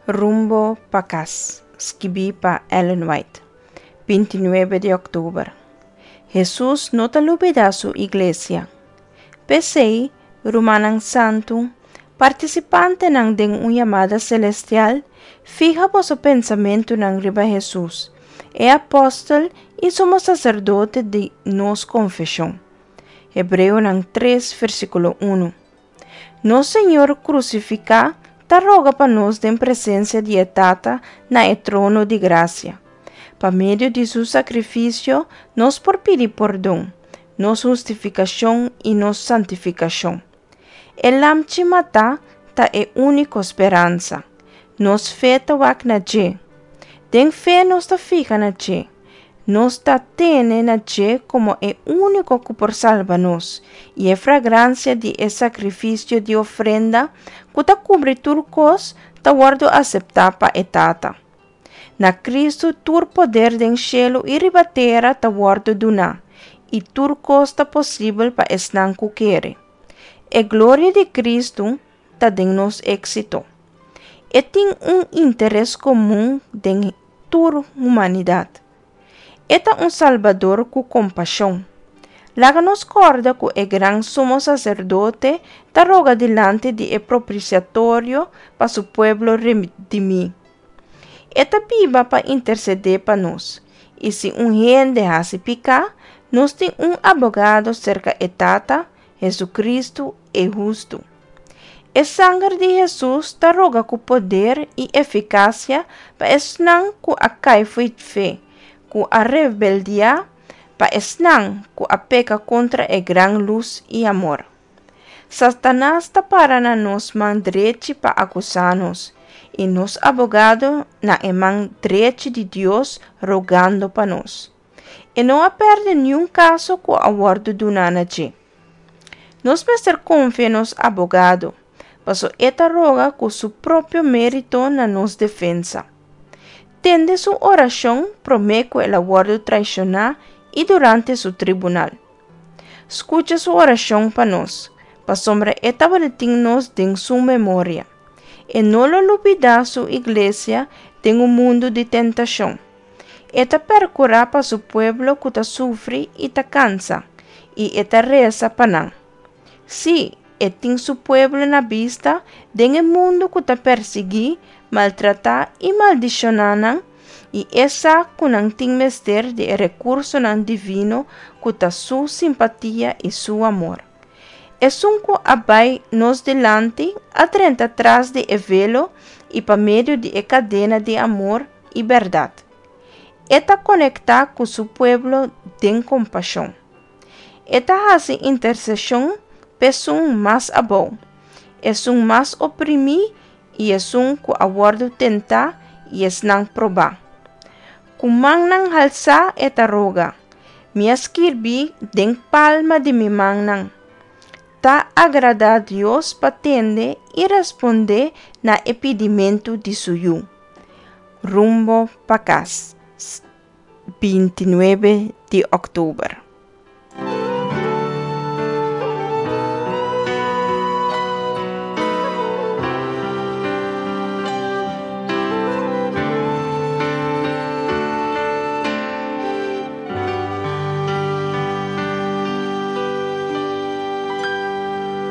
Rumbo pa kas, skibí pa Ellen White, 29 di òktober. Hesus no ta lubidá su iglesia. P'esei, rumannan santu, partisipantenan den un yamada selestial, fiha boso pensamentunan riba Hesus, e apòstel i sumo saserdote di nos konfeshon. Hebreonan 3, versíkulo 1. Nos Señor krusifiká ta roga pa nos den presensia di e Tata na e trono di grasia. Pa medio di su sakrifisio nos por pidi pordon, nos hustifikashon i nos santifikashon. E Lamchi matá ta e úniko speransa. Nos fe ta wak na dje. Den fe nos ta fiha na dje. Nos ta tene na dje komo e úniko ku por salba nos, i e fragransia di e sakrifisio di ofrenda ku ta kubri tur kos ta wòrdu aseptá pa e Tata. Na Kristu tur poder den shelu i riba tera ta wòrdu duná, i tur kos ta posibel pa esnan ku kere. E gloria di Kristu ta den nos éksito. E tin un interes komun den tur humanidat. E ta un Salbador ku kompashon. Laga nos kòrda ku e gran Sumo Saserdote ta roga dilanti di e propisiatorio pa su pueblo redimí. E ta biba pa intersedé pa nos, i si un hende hasi piká, nos tin un abogado serka e Tata, Hesukristu, e hustu. E sanger di Hesus ta roga ku poder i efikasia pa esnan ku a kai fo'i fe, ku a rebeldiá, pa esnan ku a peka kontra e gran lus i amor. Satanas ta para na nos man drechi pa akusá nos, i nos abogado na e man drechi di Dios rogando pa nos. E no a pèrdè niun kaso ku a wòrdu duná na dje. Nos mester konfia nos abogado, paso e ta roga ku su propio mérito na nos defensa. Tende su orashon promé ku el a wòrdu traishoná i durante su tribunal. Skucha su orashon pa nos, pasobra e tabatin nos den su memoria. E no lo lubidá su iglesia den un mundu di tentashon. E ta perkurá pa su pueblo ku ta sufri i ta kansa, i e ta resa pa nan. Sí, e tin su pueblo na bista den e mundu ku ta persiguí, maltratá i maldishoná nan, i e sa ku nan tin mester di e rekursonan divino ku ta su simpatia i su amor. Esun ku a bai nos dilanti a drenta tras di e velo i pa medio di e kadena di amor i bèrdat. E ta konektá ku su pueblo den kompashon. E ta hasi interseshon p'esun mas abou, esun mas oprimí i esun ku a wòrdu tentá i esnan probá. Ku mannan halsá e ta roga, Mi a skirbi den palma di mi mannan. Ta agradá Dios pa tende i respondé na e pidimentu di su Yu. Rumbo pa kas, 29 di òktober.